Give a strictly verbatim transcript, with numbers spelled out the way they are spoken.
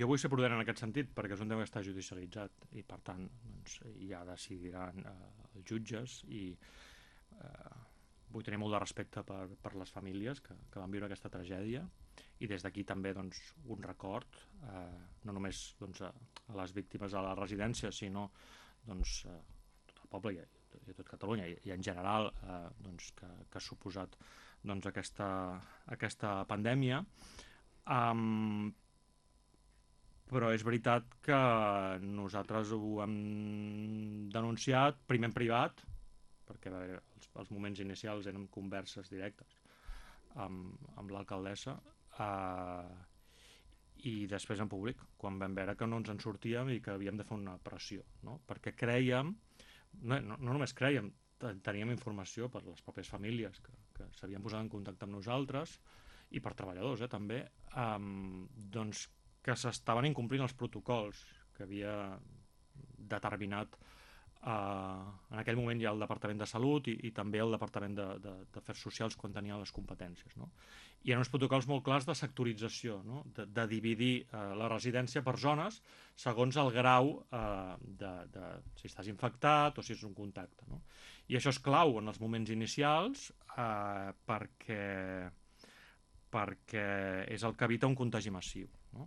Jo vull ser prudent en aquest sentit perquè és un tema que està judicialitzat i per tant doncs, ja decidiran eh, els jutges i eh, vull tenir molt de respecte per, per les famílies que, que van viure aquesta tragèdia i des d'aquí també doncs, un record eh, no només doncs, a, a les víctimes de la residència sinó doncs, a tot el poble i a, i a tot Catalunya i, i en general eh, doncs, que, que ha suposat doncs, aquesta, aquesta pandèmia. Um, però és veritat que nosaltres ho hem denunciat primer en privat perquè va haver, els, els moments inicials eren converses directes amb, amb l'alcaldessa eh, i després en públic quan vam veure que no ens en sortíem i que havíem de fer una pressió, no? Perquè creiem, no, no, no només creiem, teníem informació per les pròpies famílies que, que s'havien posat en contacte amb nosaltres i per treballadors eh, també eh, doncs que s'estaven incomplint els protocols que havia determinat eh, en aquell moment ja el Departament de Salut i, i també el Departament d'Afers Socials quan tenia les competències. No? Hi ha uns protocols molt clars de sectorització, no? de, de dividir eh, la residència per zones segons el grau eh, de, de si estàs infectat o si és un contacte. No? I això és clau en els moments inicials eh, perquè perquè és el que evita un contagi massiu.